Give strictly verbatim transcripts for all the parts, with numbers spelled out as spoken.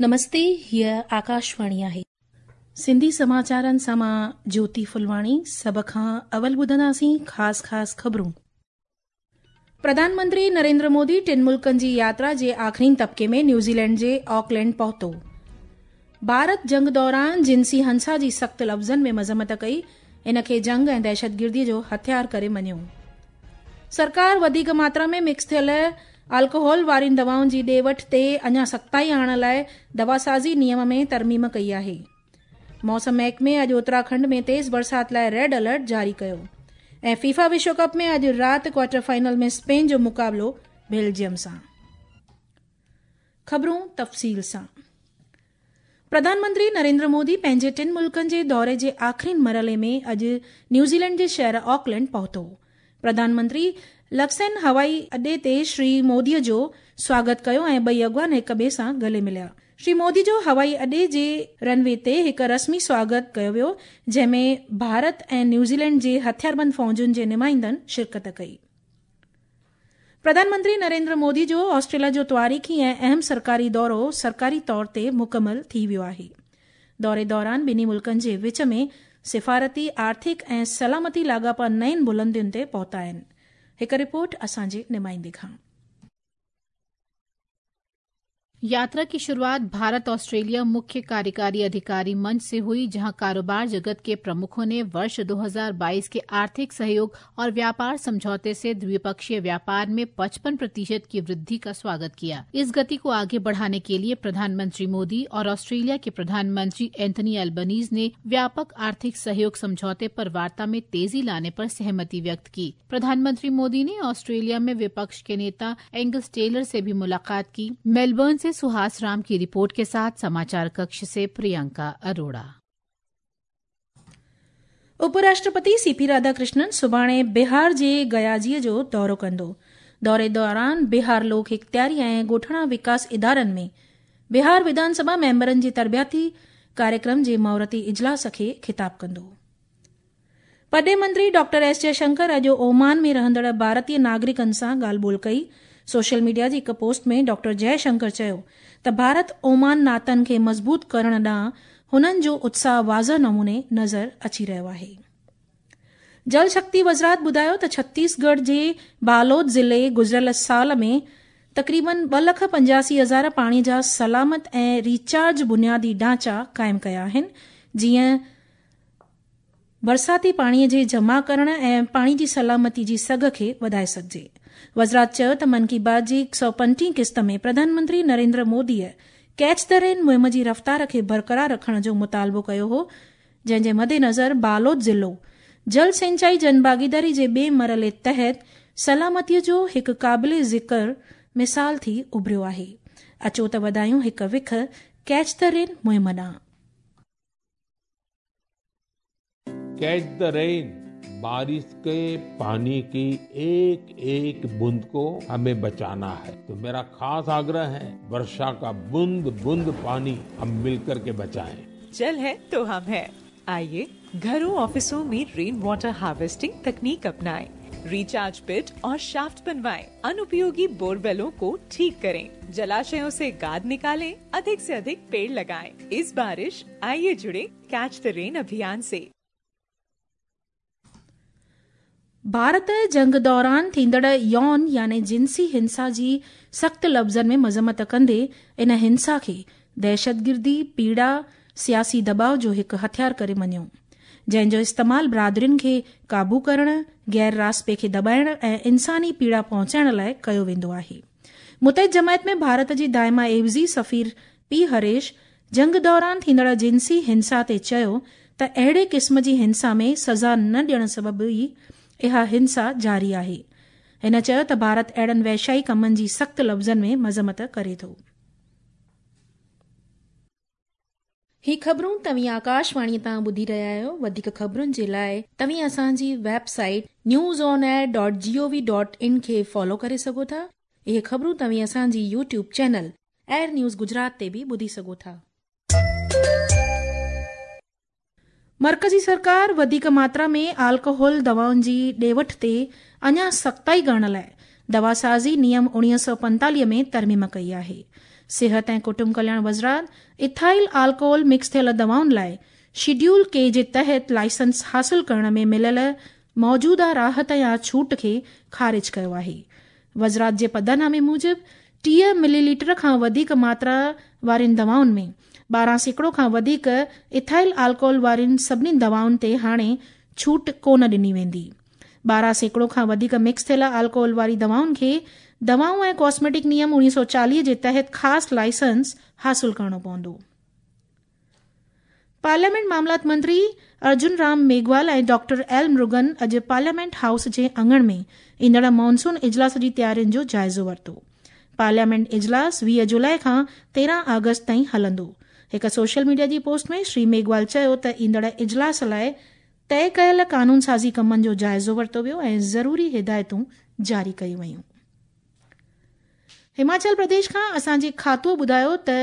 نمستي، هيء آڪاشواڻي آهي. سنڌي سماچارن سان مان جيوتي ڦلواڻي. سڀ کان اول ٻڌنداسين خاص خاص خبرون. پرڌان منتري نريندر مودي ٽن ملڪن جي ياترا جي آخرين طبقي ۾ نيوزيلينڊ جي آڪلينڊ پهتو. ڀارت جنگ دوران جنسي هنسا جي سخت لفظن ۾ مذمت ڪئي، ان کي جنگ ۽ دهشتگردي جو هٿيار ڪري مڃيو. سرڪار وڌيڪ ماترا ۾ مڪس ٿيل الڪوهول وارين دوائن جي ڏي وٺ تي اڃا سختائي آڻڻ لاءِ دواسازي نيم ۾ ترميم ڪئي آهي. موسم محڪمي اڄ اتراکنڊ ۾ تيز برسات لاءِ ريڊ الرٽ جاري ڪيو. ۽ فيفا وشو ڪپ ۾ اڄ رات ڪوارٽر فائنل ۾ اسپين جو مقابلو بيلجيم سان. خبرون تفصيل سان. پرڌان منتري نريندر مودي پنهنجي ٽن ملڪن جي دوري جي آخرين مرحلي ۾ اڄ نيوزيلينڊ جي شهر آڪلينڊ پهتو. پرڌان منتري لڪسن هوائي اڏي تي شري مودي جو سواگت ڪيو ۽ ٻئي اڳواڻ هڪ ٻئي سان گلي مليا. شري مودي جو هوائي اڏي جي رن وي تي هڪ رسمي سواگت ڪيو ويو، جنهن ۾ ڀارت ۽ نيوزيلينڊ جي هٿياربند فوجن جي نمائندن شرڪت ڪئي. پرڌان منتري نريندر مودي جو آسٽريليا جو تواريخي ۽ اهم سرڪاري دورو سرڪاري طور تي مڪمل ٿي ويو آهي. دوري دوران ٻنهي ملڪن جي وچ ۾ سفارتي، آرٿڪ ۽ سلامتي لاڳاپا نين بلندين تي پهتا آهن. هڪ رپورٽ اسان جي نمائندي کان. यात्रा की शुरुआत भारत ऑस्ट्रेलिया मुख्य कार्यकारी अधिकारी मंच से हुई, जहां कारोबार जगत के प्रमुखों ने वर्ष दो हज़ार बाईस के आर्थिक सहयोग और व्यापार समझौते से द्विपक्षीय व्यापार में पचपन प्रतिशत की वृद्धि का स्वागत किया। इस गति को आगे बढ़ाने के लिए प्रधानमंत्री मोदी और ऑस्ट्रेलिया के प्रधानमंत्री एंथनी अल्बनीज ने व्यापक आर्थिक सहयोग समझौते पर वार्ता में तेजी लाने पर सहमति व्यक्त की। प्रधानमंत्री मोदी ने ऑस्ट्रेलिया में विपक्ष के नेता एंगस टेलर से भी मुलाकात की। मेलबर्न से सुहास राम की रिपोर्ट के साथ समाचार कक्ष से प्रियंका अरोड़ा। उपराष्ट्रपति सीपी राधाकृष्णन सुभाणे बिहार जे गयाजीअ जो दौरो कंदो। दौरे दौरान बिहार लोक इख्तियारी ऐं ॻोठाणा विकास इदारनि में बिहार विधानसभा मेंबरनि जे तरबियाती कार्यक्रम जे मुहूर्ती इजलास खे ख़िताब कंदो। परॾेह मंत्री डॉक्टर एस जयशंकर अॼु ओमान में रहंदड़ भारतीय नागरिकनि सां ॻाल्हि ॿोल कई। सोशल मीडिया जी हिकु पोस्ट में डॉक्टर जयशंकर चयो त भारत ओमान नातनि खे मज़बूत करण ॾांहुं हुननि जो उत्साह वाज़ह नमूने नज़र अची रहियो आहे। जल शक्ति वज़ारत ॿुधायो त छत्तीसगढ़ जे बालोद ज़िले गुज़िरियल साल में तक़रीबन ॿ लख पंजासी हज़ार पाणी जा सलामत ऐं रिचार्ज बुनियादी ढांचा क़ाइमु कया आहिनि, जीअं बरसाती पाणीअ जे जमा करण ऐं पाणी जी सलामती जी सघ खे वधाए सघिजे। वज़ारत चयो त मन की बात जी हिकु सौ पंटीह क़िस्त में प्रधानमंत्री नरेंद्र मोदीअ कैच the rain मुहिम जी रफ़्तार खे बरक़रार रखण जो मुतालबो कयो हो, जंहिंजे मदेनज़र बालोद ज़िलो जल सिंचाई जनभागीदारी जे ॿिए मरहले तहत सलामतीअ जो हिकु क़ाबिल ज़िक्र मिसाल थी उभरियो आहे। अचो त वधायूं हिकु विख कैच the rain मुहिम ॾांहुं। कैच the rain, बारिश के पानी की एक एक बूंद को हमें बचाना है। तो मेरा खास आग्रह है, वर्षा का बूंद बूंद पानी हम मिलकर के बचाएं। जल है तो हम है। आइए घरों ऑफिसों में रेन वाटर हार्वेस्टिंग तकनीक अपनाएं, रिचार्ज पिट और शाफ्ट बनवाएं, अनुपयोगी बोरवेलों को ठीक करें, जलाशयों से गाद निकालें, अधिक से अधिक पेड़ लगाएं। इस बारिश आइए जुड़े कैच the rain अभियान से। भारत जंग दौरान थींदड़ यौन यानी जिंसी हिंसा जी सख़्त लफ़्ज़नि में मज़म्मत कंदे इन हिंसा खे दहशतगिर्दी, पीड़ा, सियासी दबाव जो हिकु हथियार करे मञियो, जंहिंजो इस्तेमाल बरादरियुनि खे क़ाबू करण, गैर रास्पे खे दॿाइण ऐं इंसानी पीड़ा पहुचाइण लाइ कयो वेंदो आहे। मुतहिद जमायत में भारत जी दाइमा एवज़ी सफ़ीर पी हरीश जंग दौरान थींदड़ जिंसी हिंसा ते चयो त अहिड़े क़िस्म जी हिंसा में सज़ा न ॾियण सबबु ई इहा हिंसा जारी आहे। हिन चयो त भारत अहिड़नि वैशाई कमनि जी सख़्त लफ़्ज़नि में मज़म्मत करे थो। ही ख़बरूं तव्हीं आकाशवाणी तां ॿुधी रहिया आहियो। वधीक ख़बरुनि जे लाइ तव्हीं असांजी website news on air dot G O V dot in खे फॉलो करे सघो था। इहे ख़बरूं तव्हीं असांजी YouTube channel air news Gujarat ते बि ॿुधी सघो था। मर्कज़ी सरकार वधीक मात्रा में अल्कोहल दवाउनि जी ॾे वठ ते अञा सख़्ताई करण लाइ दवासाज़ी नियम उणिवीह सौ पंतालीह में तरमीम कई आहे। सिहत ऐं कुटुंब कल्याण वज़ारत इथाइल अल्कोहल मिक्स थियल दवाउनि लाइ शेड्यूल के जे तहत लाइसेंस हासिल करण में मिलियल मौजूदा राहत या छूट खे ख़ारिज कयो आहे। वज़ारत जे पधरनामे मूजिबि टीह मिलीलीटर खां वधीक मात्रा वारियुनि दवाउनि में ॿारहं सैकड़ो खां वधीक इथाइल अल्कोहल वारियुनि सभिनी दवाउनि ते हाणे छूट कोन ॾिनी वेंदी। ॿारहं सैकड़ो खां वधीक मिक्स थियल अल्कोहल वारी दवाउनि खे दवाऊं ऐं कॉस्मेटिक नियम उणिवीह सौ चालीह जे तहत ख़ासि लाइसेंस हासिल करिणो पवंदो। पार्लियामेंट मामलात मंत्री अर्जुन राम मेघवाल ऐं डॉक्टर एल मुरुगन अॼु पार्लियामेंट हाउस जे आङण में ईंदड़ मानसून इजलास जी तयारियुनि जो जाइज़ो वरितो। पार्लियामेंट इजलास वीह जुलाई खां तेरहं अगस्त ताईं हलंदो। हिकु सोशल मीडिया जी पोस्ट में श्री मेघवाल चयो त ईंदड़ इजलास लाइ तय कयल कानून साज़ी कमनि जो जाइज़ो वरितो वियो ऐं ज़रूरी हिदायतूं जारी कयूं वयूं। हिमाचल प्रदेश खां असांजे खातूअ ॿुधायो त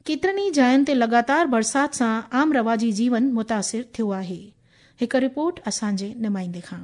केतिरनि ई जायुनि ते लगातार बरसाति सां आम रवाजी जीवन मुतासिर थियो आहे। हिकु रिपोर्ट असांजे नुमाइंदे खां।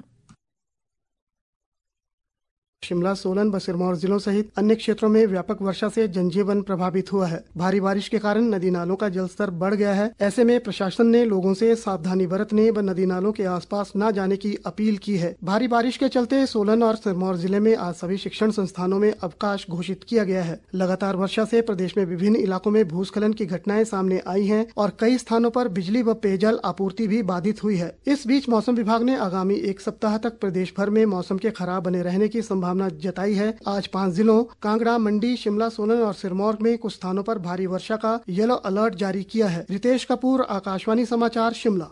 शिमला, सोलन व सिरमौर जिलों सहित अन्य क्षेत्रों में व्यापक वर्षा से जनजीवन प्रभावित हुआ है। भारी बारिश के कारण नदी नालों का जलस्तर बढ़ गया है। ऐसे में प्रशासन ने लोगों से सावधानी बरतने व नदी नालों के आसपास न जाने की अपील की है। भारी बारिश के चलते सोलन और सिरमौर जिले में आज सभी शिक्षण संस्थानों में अवकाश घोषित किया गया है। लगातार वर्षा से प्रदेश में विभिन्न इलाकों में भूस्खलन की घटनाएं सामने आई है और कई स्थानों पर बिजली व पेयजल आपूर्ति भी बाधित हुई है। इस बीच मौसम विभाग ने आगामी एक सप्ताह तक प्रदेश भर में मौसम के खराब बने रहने की संभावना जताई है। आज पांच जिलों कांगड़ा, मंडी, शिमला, सोलन और सिरमौर में कुछ स्थानों पर भारी वर्षा का येलो अलर्ट जारी किया है। रितेश कपूर, आकाशवाणी समाचार, शिमला।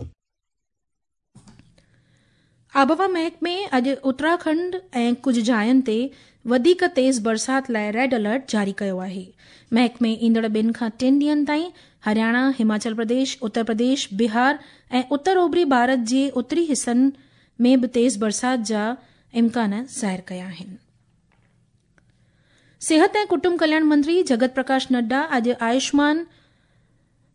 आबहवा महकमे अॼु उत्तराखंड ऐं कुझु जायुनि ते वधीक तेज़ बरसाति लाइ रेड अलर्ट जारी कयो आहे। महकमे ईंदड़ ॿिनि खां टिनि ॾींहंनि ताईं हरियाणा, हिमाचल प्रदेश, उत्तर प्रदेश, बिहार ऐं उत्तर ओभरी भारत जे उत्तरी हिसनि में बि तेज़ बरसाति जा इम्कान ज़ाहिर कया आहिनि। सिहत ऐं कुटुंब कल्याण मंत्री जगत प्रकाश नड्डा अॼु आयुष्मान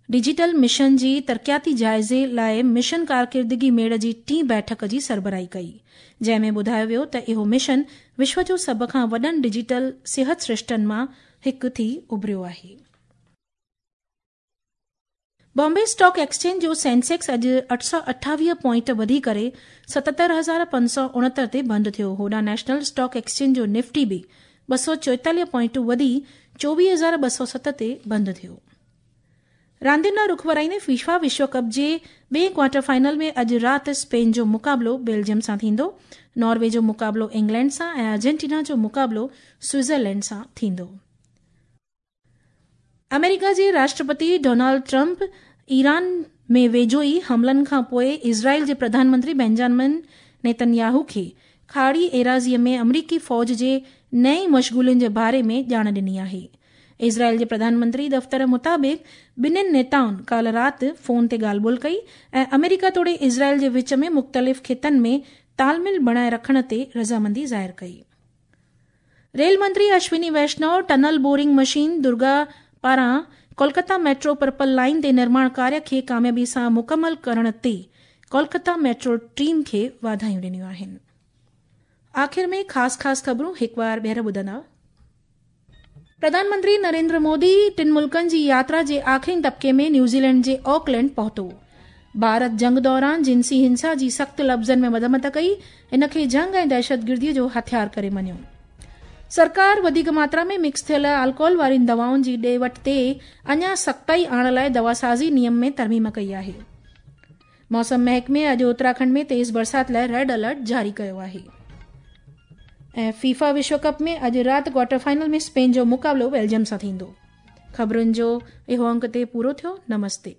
डिजिटल मिशन जी तरक़ियाती जाइज़े लाइ मिशन कारकिर्दगी मेड़ जी टीं बैठक जी सरबराही कई, जंहिं में ॿुधायो वियो त इहो मिशन विश्व जो सभ खां वॾनि डिजिटल सिहत सृष्टनि मां हिकु थी उभरियो आहे। बॉम्बे स्टॉक एक्सचेंज जो सेंसेक्स अॼु अठ सौ अठावीह पॉइंट वधी करे सतहतरि हज़ार पंज सौ उणहतरि ते बंदि थियो। होॾां नेशनल स्टॉक एक्सचेंज जो निफ्टी बि ॿ सौ चोएतालीह पॉइंट वधी चोवीह हज़ार ॿ सौ सत ते बंदि थियो। रांदियुनि ॾांहुं रुख वराईंदे फीफा विश्व कप जे ॿिए क्वार्टर फाइनल में अॼु राति स्पेन जो मुक़ाबिलो बेल्जियम सां थींदो, नॉर्वे जो मुक़ाबिलो इंग्लैंड सां ऐं अर्जेंटीना जो मुक़ाबिलो स्विट्ज़रलैंड सां थींदो। अमेरिका जे राष्ट्रपति डोनाल्ड ट्रंप ईरान में वेझो ई हमलनि खां पोइ इज़राइल जे प्रधानमंत्री बेंजामिन नेतन्याहू खे खाड़ी एराज़ीअ में अमरीकी फ़ौज जे नई मशगूलियुनि जे बारे में ॼाण ॾिनी आहे। इज़राइल जे प्रधानमंत्री दफ़्तर मुताबिक़ ॿिन्हिनि नेताउनि काल्ह राति फ़ोन ते ॻाल्हि ॿोल कई ऐं अमेरिका तोड़े इज़राइल जे विच में मुख़्तलिफ़ ख़ितनि में तालमेल बणाए रखण ते रज़ामंदी ज़ाहिर कई। रेल मंत्री Ashwini Vaishnaw tunnel boring machine Durga पारां कोलकाता मेट्रो पर्पल लाइन ते निर्माण कार्य खे कामयाबी सां मुकमल करण ते कोलकाता मेट्रो टीम खे वाधायूं ॾिनियूं आहिनि। आख़िर में ख़ासि ख़ासि ख़बरूं हिकु बार ॿीहर ॿुधंदा। प्रधानमंत्री नरेंद्र मोदी टिनि मुल्कनि जी यात्रा जे आख़िरी तबके में न्यूज़ीलैंड जे ऑकलैंड पहुतो। भारत जंग दौरान जिनसी हिंसा जी सख़्तु लफ़्ज़नि में मज़म्मत कई, इन खे जंग ऐं दहशतगिर्दीअ जो हथियार करे मञियो। सरकार वधीक मात्रा में मिक्स थियल अल्कोहल वारियुनि दवाउनि जी ॾे वठि ते अञा सख़्ताई आणण लाइ दवासाज़ी नियम में तरमीम कई आहे। मौसम महकमे अॼु उत्तराखंड में तेज़ बरसाति लाइ रेड अलर्ट जारी कयो आहे। ऐं फीफा विश्व कप में अॼु राति क्वार्टर फाइनल में स्पेन जो मुक़ाबिलो बेल्जियम सां थींदो। ख़बरुनि जो इहो अंक ते पूरो थियो। नमस्ते।